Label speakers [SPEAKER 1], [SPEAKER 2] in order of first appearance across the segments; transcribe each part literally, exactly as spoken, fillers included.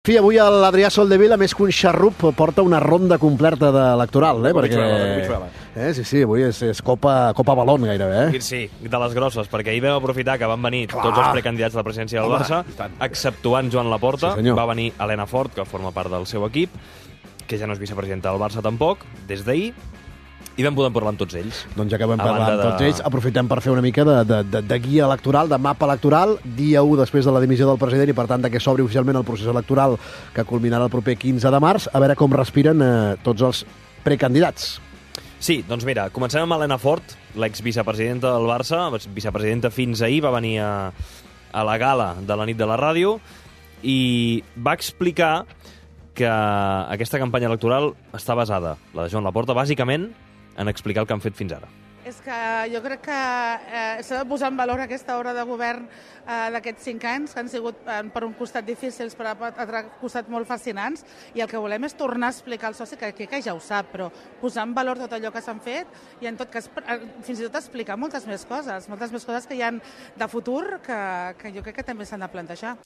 [SPEAKER 1] Fi, avui l'Adrià Soldevila, més que un xarrup, porta una ronda completa d'electoral, eh? Perquè... Eh, sí, sí, avui és, és Copa, Copa Balón, gairebé, eh?
[SPEAKER 2] Sí, de les grosses, perquè ahir vam aprofitar que van venir Clar. tots els precandidats de la presidència del Barça, exceptuant Joan Laporta,
[SPEAKER 1] sí,
[SPEAKER 2] va venir Elena Fort, que forma part del seu equip, que ja no és vicepresidenta del Barça tampoc, des d'ahir, i vam poder parlar amb tots ells.
[SPEAKER 1] Doncs ja que vam parlar amb tots ells, aprofitem per fer una mica de, de, de, de guia electoral, de mapa electoral, dia u després de la dimissió del president i, per tant, que s'obri oficialment el procés electoral que culminarà el proper quinze de març, a veure com respiren eh, tots els precandidats.
[SPEAKER 2] Sí, doncs mira, comencem amb Elena Fort, l'exvicepresidenta del Barça, vicepresidenta fins ahir, va venir a, a la gala de la nit de la ràdio i va explicar que aquesta campanya electoral està basada, la de Joan Laporta, bàsicament en explicar el que han fet fins ara.
[SPEAKER 3] És que jo crec que eh, s'ha de posar en valor aquesta obra de govern eh, d'aquests cinc anys, que han sigut eh, per un costat difícils, però per altre costat molt fascinants, i el que volem és tornar a explicar al soci, que, que ja ho sap, però posar en valor tot allò que s'han fet i, en tot cas, fins i tot explicar moltes més coses, moltes més coses que hi ha de futur que, que jo crec que també s'han de plantejar.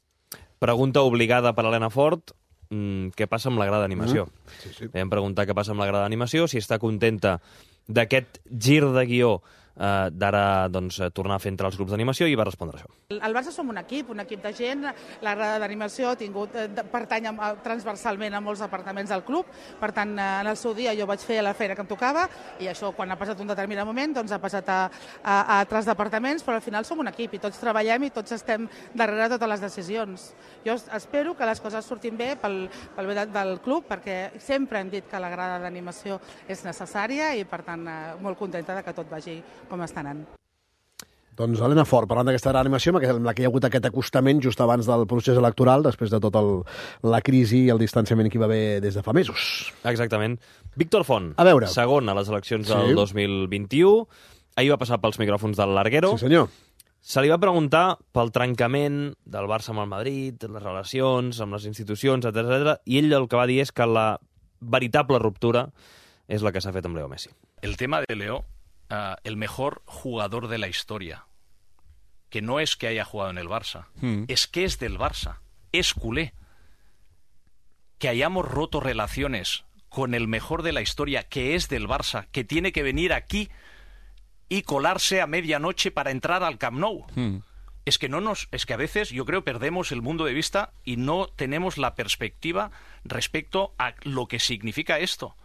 [SPEAKER 2] Pregunta obligada per Elena Fort, què passa amb la grada d'animació.
[SPEAKER 1] Mm. Sí, sí.
[SPEAKER 2] Vam preguntar què passa amb la grada d'animació, si està contenta d'aquest gir de guió eh, d'ara doncs, tornar a fer entre els grups d'animació, i va respondre això.
[SPEAKER 3] Al Barça som un equip, un equip de gent, la grada d'animació ha tingut, eh, pertany a, transversalment a molts departaments del club, per tant, eh, en el seu dia jo vaig fer la feina que em tocava, i això, quan ha passat un determinat moment, doncs ha passat a, a, a altres departaments, però al final som un equip i tots treballem i tots estem darrere de totes les decisions. Jo espero que les coses surtin bé pel, pel bé del club, perquè sempre hem dit que la grada d'animació és necessària i, per tant, eh, molt contenta de que tot vagi com està anant.
[SPEAKER 1] Doncs Elena Fort, parlant d'aquesta animació, amb la que hi ha hagut aquest acostament just abans del procés electoral, després de tota la crisi i el distanciament que hi va haver des de fa mesos.
[SPEAKER 2] Exactament. Víctor Font,
[SPEAKER 1] a veure.
[SPEAKER 2] segon a les eleccions del
[SPEAKER 1] sí.
[SPEAKER 2] dos mil vint-i-u, ahir va passar pels micròfons del Larguero.
[SPEAKER 1] Sí, senyor.
[SPEAKER 2] Se li va preguntar pel trencament del Barça amb el Madrid, les relacions amb les institucions, etcètera, i ell el que va dir és que la veritable ruptura és la que s'ha fet amb Leo Messi.
[SPEAKER 4] El tema de Leo, Uh, el mejor jugador de la historia, que no es que haya jugado en el Barça, mm. es que es del Barça, es culé. Que hayamos roto relaciones con el mejor de la historia, que es del Barça, que tiene que venir aquí y colarse a medianoche para entrar al Camp Nou. Mm. Es que no nos, es que a veces yo creo perdemos el mundo de vista y no tenemos la perspectiva respecto a lo que significa esto.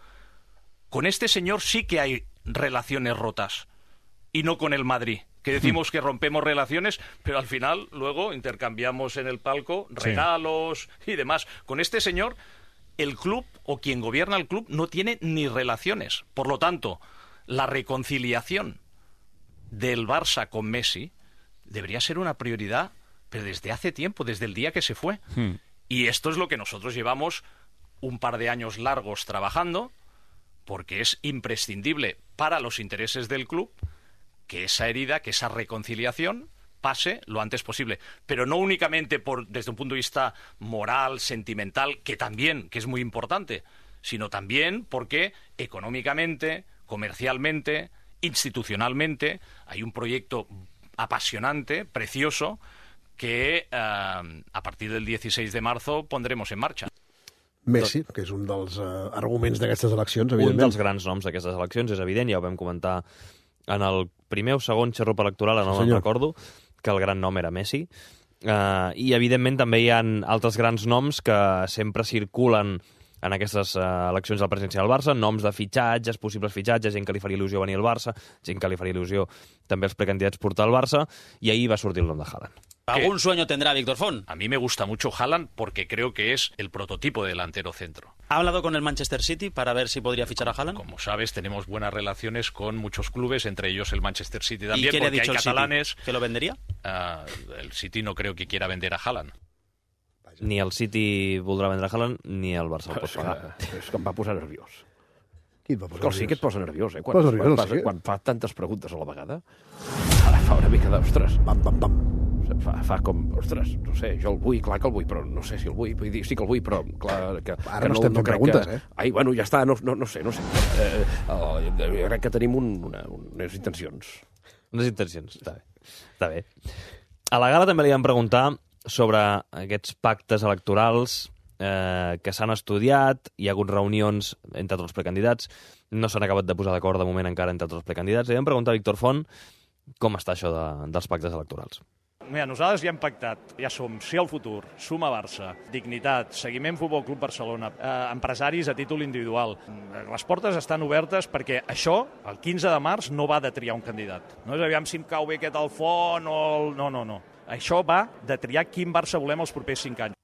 [SPEAKER 4] Con este señor sí que hay relaciones rotas, y no con el Madrid, que decimos que rompemos relaciones, pero al final luego intercambiamos en el palco regalos sí. y demás. Con este señor, el club o quien gobierna el club no tiene ni relaciones. Por lo tanto, la reconciliación del Barça con Messi debería ser una prioridad, pero desde hace tiempo, desde el día que se fue. Hmm. Y esto es lo que nosotros llevamos un par de años largos trabajando, porque es imprescindible para los intereses del club que esa herida, que esa reconciliación pase lo antes posible. Pero no únicamente por, desde un punto de vista moral, sentimental, que también, que es muy importante, sino también porque económicamente, comercialmente, institucionalmente, hay un proyecto apasionante, precioso, que eh, a partir del dieciséis de marzo pondremos en marcha.
[SPEAKER 1] Messi, que és un dels uh, arguments d'aquestes eleccions, evidentment.
[SPEAKER 2] Un dels grans noms d'aquestes eleccions, és evident, ja ho vam comentar en el primer o segon xarrup electoral, no sí, me'n recordo, que el gran nom era Messi. Uh, I, evidentment, també hi ha altres grans noms que sempre circulen en aquestes uh, eleccions de la presidència del Barça, noms de fitxatges, possibles fitxatges, gent que li faria il·lusió venir al Barça, gent que li faria il·lusió també els precandidats portar al Barça, i ahir va sortir el nom de Haaland.
[SPEAKER 5] ¿Algún sueño tendrá Víctor Font?
[SPEAKER 4] A mí me gusta mucho Haaland porque creo que es el prototipo de delantero centro.
[SPEAKER 5] ¿Ha hablado con el Manchester City para ver si podría fichar a Haaland?
[SPEAKER 4] Como sabes, tenemos buenas relaciones con muchos clubes, entre ellos el Manchester City también.
[SPEAKER 5] ¿Y qué le ha dicho
[SPEAKER 4] hay
[SPEAKER 5] el
[SPEAKER 4] catalanes.
[SPEAKER 5] City? ¿Que lo vendería?
[SPEAKER 4] Uh, el City no creo que quiera vender a Haaland.
[SPEAKER 2] Ni el City voldrà vendre a Haaland, ni el Barça el pot pagar.
[SPEAKER 6] És que em va posar nerviós.
[SPEAKER 1] Qui et va posar nerviós?
[SPEAKER 6] Sí que et posa nerviós, eh? Quan,
[SPEAKER 1] posa nerviós,
[SPEAKER 6] quan,
[SPEAKER 1] sí.
[SPEAKER 6] quan fa tantes preguntes a la vegada, ara fa una mica d'ostres.
[SPEAKER 1] Pam, pam, pam.
[SPEAKER 6] Fa, fa com, ostres, no sé, jo el vull, clar que el vull, però no sé si el vull. Vull dir, sí que el vull, però clar que...
[SPEAKER 1] Ara
[SPEAKER 6] que
[SPEAKER 1] no estem
[SPEAKER 6] no
[SPEAKER 1] fent preguntes,
[SPEAKER 6] que...
[SPEAKER 1] eh?
[SPEAKER 6] Ai, bueno, ja està, no, no, no sé, no sé. Eh, eh, jo crec que tenim un, una, unes intencions.
[SPEAKER 2] Unes intencions, està bé. Està bé. A la gala també li vam preguntar sobre aquests pactes electorals eh, que s'han estudiat, hi ha hagut reunions entre tots els precandidats, no s'han acabat de posar d'acord de moment encara entre tots els precandidats. I vam preguntar a Víctor Font com està això de, dels pactes electorals.
[SPEAKER 7] Mira, nosaltres ja hem pactat, ja som Sí al futur, Suma Barça, Dignitat, Seguiment Futbol Club Barcelona, eh, empresaris a títol individual. Les portes estan obertes perquè això, el quinze de març, no va de triar un candidat. No és aviam si em cau bé aquest al Font o el... No, no, no. Això va de triar quin Barça volem els propers cinc anys.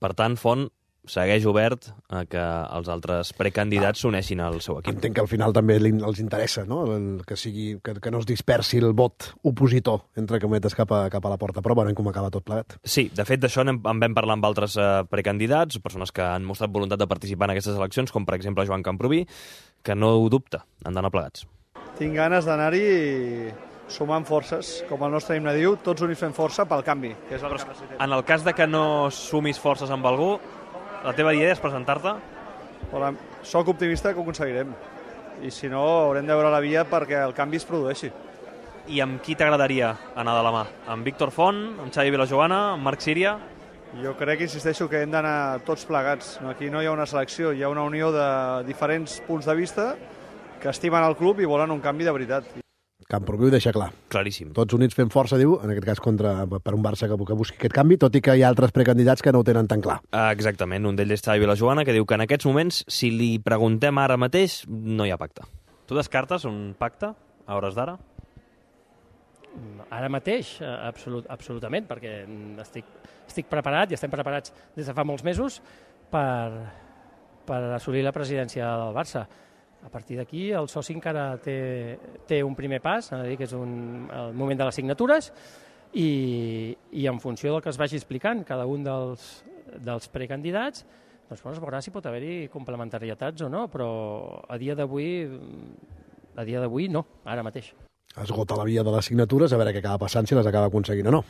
[SPEAKER 2] Per tant, Font segueix obert a que els altres precandidats s'uneixin al seu equip.
[SPEAKER 1] Entenc que al final també els interessa, no? El, que, sigui, que, que no es dispersi el vot opositor, entre cometes, cap a, cap a la porta. Però veurem com acaba tot plegat.
[SPEAKER 2] Sí, de fet, d'això en vam parlar amb altres eh, precandidats, persones que han mostrat voluntat de participar en aquestes eleccions, com per exemple Joan Camproví, que no ho dubta, han d'anar plegats.
[SPEAKER 8] Tinc ganes d'anar-hi sumant forces, com el nostre himne diu, tots units fent força pel canvi, que és el que necessitem.
[SPEAKER 2] En el cas de que no sumis forces amb algú, la teva idea és presentar-te?
[SPEAKER 8] Hola, soc optimista que ho aconseguirem. I si no, haurem de veure la via perquè el canvi es produeixi.
[SPEAKER 2] I amb qui t'agradaria anar de la mà? Amb Víctor Font, amb Xavi Vilajoana, amb Marc Síria?
[SPEAKER 8] Jo crec que insisteixo que hem d'anar tots plegats. Aquí no hi ha una selecció, hi ha una unió de diferents punts de vista que estimen el club i volen un canvi de veritat.
[SPEAKER 1] Camproví ho deixa clar.
[SPEAKER 2] Claríssim.
[SPEAKER 1] Tots units fent força, diu, en aquest cas contra, per un Barça que, que busqui aquest canvi, tot i que hi ha altres precandidats que no ho tenen tan clar.
[SPEAKER 2] Exactament. Un d'ells és Xavi Vilajoana, que diu que en aquests moments, si li preguntem ara mateix, no hi ha pacte. Tu descartes un pacte a hores d'ara?
[SPEAKER 9] Ara mateix, absolut, absolutament, perquè estic, estic preparat i estem preparats des de fa molts mesos per, per assolir la presidència del Barça. A partir d'aquí, el soci encara té, té un primer pas, a dir, que és un, el moment de les signatures, i, i en funció del que es vagi explicant cada un dels, dels precandidats, doncs bueno, es veurà si pot haver-hi complementarietats o no, però a dia d'avui, a dia d'avui no, ara mateix.
[SPEAKER 1] Esgota la via de les signatures, a veure què acaba passant, si les acaba aconseguint o no.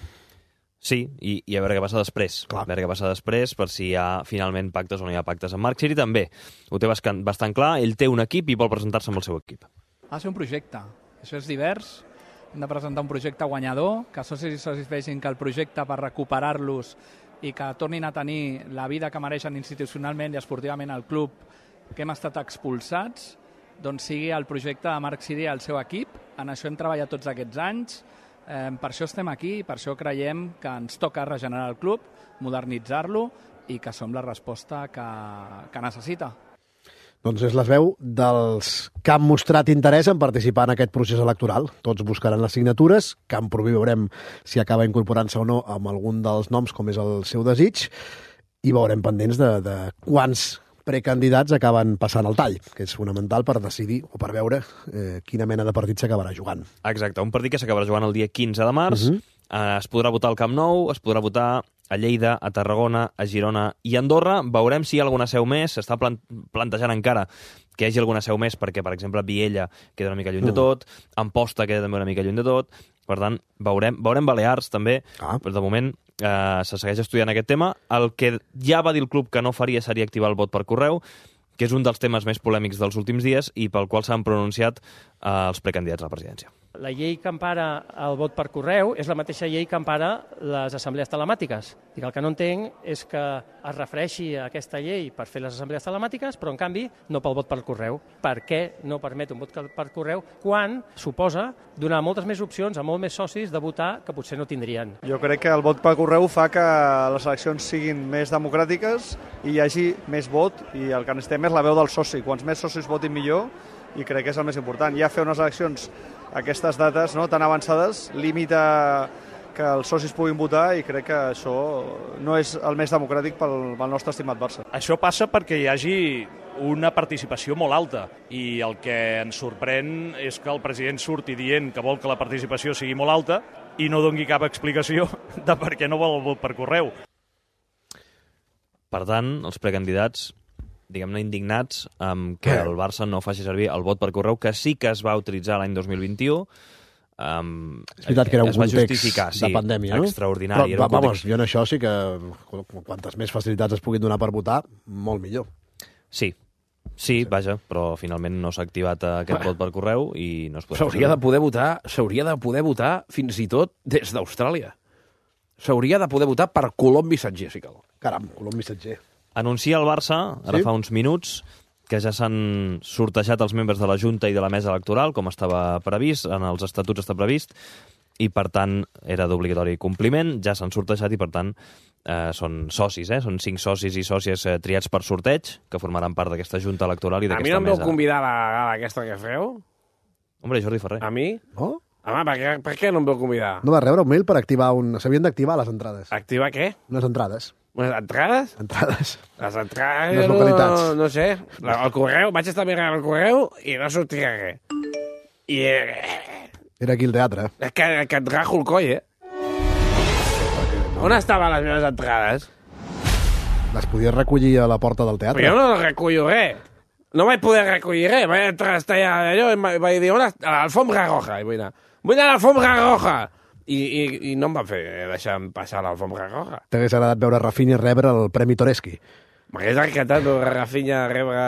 [SPEAKER 2] Sí, i, i a veure què passa després. Clar. A veure què passa després, per si hi ha finalment pactes o no hi ha pactes. En Marc Siri també ho té bastant, bastant clar. Ell té un equip i vol presentar-se amb el seu equip.
[SPEAKER 10] Ha de ser un projecte. Això és divers. Hem de presentar un projecte guanyador, que socis i socis vegin que el projecte per recuperar-los i que tornin a tenir la vida que mereixen institucionalment i esportivament al club que hem estat expulsats, doncs sigui el projecte de Marc Siri i el seu equip. En això hem treballat tots aquests anys. Eh, per això estem aquí i per això creiem que ens toca regenerar el club, modernitzar-lo i que som la resposta que, que necessita.
[SPEAKER 1] Doncs és les veu dels que han mostrat interès en participar en aquest procés electoral. Tots buscaran les signatures, Camproví veurem si acaba incorporant-se o no amb algun dels noms, com és el seu desig, i veurem pendents de, de quants precandidats acaben passant el tall, que és fonamental per decidir o per veure eh, quina mena de partit s'acabarà jugant.
[SPEAKER 2] Exacte, un partit que s'acabarà jugant el dia quinze de març, uh-huh. eh, es podrà votar al Camp Nou, es podrà votar a Lleida, a Tarragona, a Girona i a Andorra. Veurem si hi ha alguna seu més, s'està plant plantejant encara que hi hagi alguna seu més, perquè, per exemple, Viella queda una mica lluny uh. de tot, Amposta queda també una mica lluny de tot, per tant, veurem, veurem Balears també, ah. però de moment eh, se segueix estudiant aquest tema. El que ja va dir el club que no faria seria activar el vot per correu, que és un dels temes més polèmics dels últims dies i pel qual s'han pronunciat eh, els precandidats a la presidència.
[SPEAKER 9] La llei que empara el vot per correu és la mateixa llei que empara les assemblees telemàtiques. I el que no entenc és que es refereixi a aquesta llei per fer les assemblees telemàtiques, però en canvi no pel vot per correu. Per què no permet un vot per correu quan suposa donar moltes més opcions a molts més socis de votar que potser no tindrien?
[SPEAKER 8] Jo crec que el vot per correu fa que les eleccions siguin més democràtiques i hi hagi més vot, i el que necessitem és la veu del soci. Quants més socis votin millor, i crec que és el més important. Ja fer unes eleccions a aquestes dates no, tan avançades limita que els socis puguin votar, i crec que això no és el més democràtic pel, pel nostre estimat Barça.
[SPEAKER 7] Això passa perquè hi hagi una participació molt alta, i el que ens sorprèn és que el president surti dient que vol que la participació sigui molt alta i no doni cap explicació de per què no vol el vot per correu.
[SPEAKER 2] Per tant, els precandidats, diguem-ne, indignats amb que el Barça no faci servir el vot per correu, que sí que es va utilitzar l'any dos mil vint-i-u. Um,
[SPEAKER 1] és veritat que era un context
[SPEAKER 2] sí,
[SPEAKER 1] de pandèmia, no?
[SPEAKER 2] Extraordinari.
[SPEAKER 1] Però, va, vamos, jo en això sí que quantes més facilitats es puguin donar per votar, molt millor.
[SPEAKER 2] Sí, sí, vaja, però finalment no s'ha activat aquest vot per correu i no es podrà...
[SPEAKER 6] S'hauria de poder votar, s'hauria de poder votar fins i tot des d'Austràlia. S'hauria de poder votar per Colom Missatger, si cal.
[SPEAKER 1] Caram, colom missatger.
[SPEAKER 2] Anuncia el Barça, ara
[SPEAKER 1] Sí?
[SPEAKER 2] fa uns minuts, que ja s'han sortejat els membres de la Junta i de la Mesa Electoral, com estava previst, en els estatuts està previst, i per tant era d'obligatori compliment, ja s'han sortejat i per tant eh, són socis, eh? Són cinc socis i sòcies eh, triats per sorteig, que formaran part d'aquesta Junta Electoral i
[SPEAKER 6] A mi
[SPEAKER 2] d'aquesta
[SPEAKER 6] no em veu
[SPEAKER 2] mesa.
[SPEAKER 6] convidar a la gala aquesta que feu?
[SPEAKER 2] Hombre, Jordi Ferrer.
[SPEAKER 6] A mi?
[SPEAKER 1] Oh?
[SPEAKER 6] Home, per què, per què no em veu convidar?
[SPEAKER 1] No vas rebre un mail per activar un... S'havien d'activar les entrades.
[SPEAKER 6] Activar què?
[SPEAKER 1] Unes entrades.
[SPEAKER 6] Unes entrades?
[SPEAKER 1] Entrades.
[SPEAKER 6] Les entrades...
[SPEAKER 1] Les
[SPEAKER 6] no,
[SPEAKER 1] localitats.
[SPEAKER 6] No, no sé. El correu, vaig estar mirant el correu i no sortia res. I... Eh,
[SPEAKER 1] Era aquí el teatre.
[SPEAKER 6] és que, que et rajo el coll, eh? On estaven les meves entrades?
[SPEAKER 1] Les podies recollir a la porta del
[SPEAKER 6] Però
[SPEAKER 1] teatre.
[SPEAKER 6] jo no recullo res. No vaig poder recollir res. Vaig entrar a estar allò i em vaig dir, on està? A l'alfombra roja. I vull anar. Vull anar a l'alfombra roja. I, i, I no em van fer deixar passar a l'alfombra roja.
[SPEAKER 1] T'hagués agradat veure Rafinha rebre el Premi Toreski.
[SPEAKER 6] M'hagués encantat veure Rafinha rebre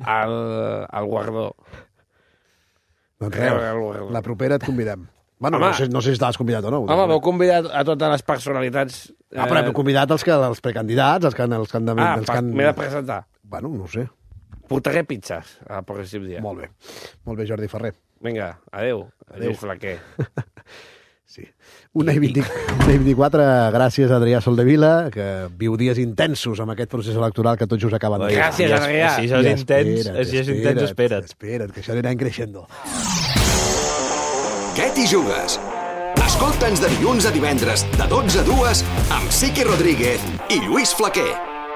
[SPEAKER 6] el, el guardó.
[SPEAKER 1] Doncs
[SPEAKER 6] Rebre
[SPEAKER 1] res,
[SPEAKER 6] el guardó.
[SPEAKER 1] la propera et convidem. Bueno,
[SPEAKER 6] Home.
[SPEAKER 1] no sé, no sé si estaves convidat o no.
[SPEAKER 6] Home, m'heu convidat a totes les personalitats...
[SPEAKER 1] Ah, però hem convidat els, que, els precandidats, els que han... Els que han de,
[SPEAKER 6] Ah,
[SPEAKER 1] els que
[SPEAKER 6] pa-
[SPEAKER 1] han...
[SPEAKER 6] m'he de presentar.
[SPEAKER 1] Bueno, no ho sé.
[SPEAKER 6] Portaré pizzas el pròxim dia.
[SPEAKER 1] Molt bé. Molt bé, Jordi Ferrer.
[SPEAKER 6] Vinga, adeu.
[SPEAKER 1] Adéu.
[SPEAKER 6] Adéu, flaquer.
[SPEAKER 1] Sí. Una i, vint, una i vint-i-quatre, gràcies a Adrià Soldevila, que viu dies intensos amb aquest procés electoral que tot just acaben de...
[SPEAKER 6] Gràcies, Adrià.
[SPEAKER 2] Si això és intens, si és intens, espera't.
[SPEAKER 1] Espera't, que això anirà creixent.
[SPEAKER 11] Què t'hi jugues? Escolta'ns de dilluns a divendres, de dotze a dues, amb Sique Rodríguez i Lluís Flaquer.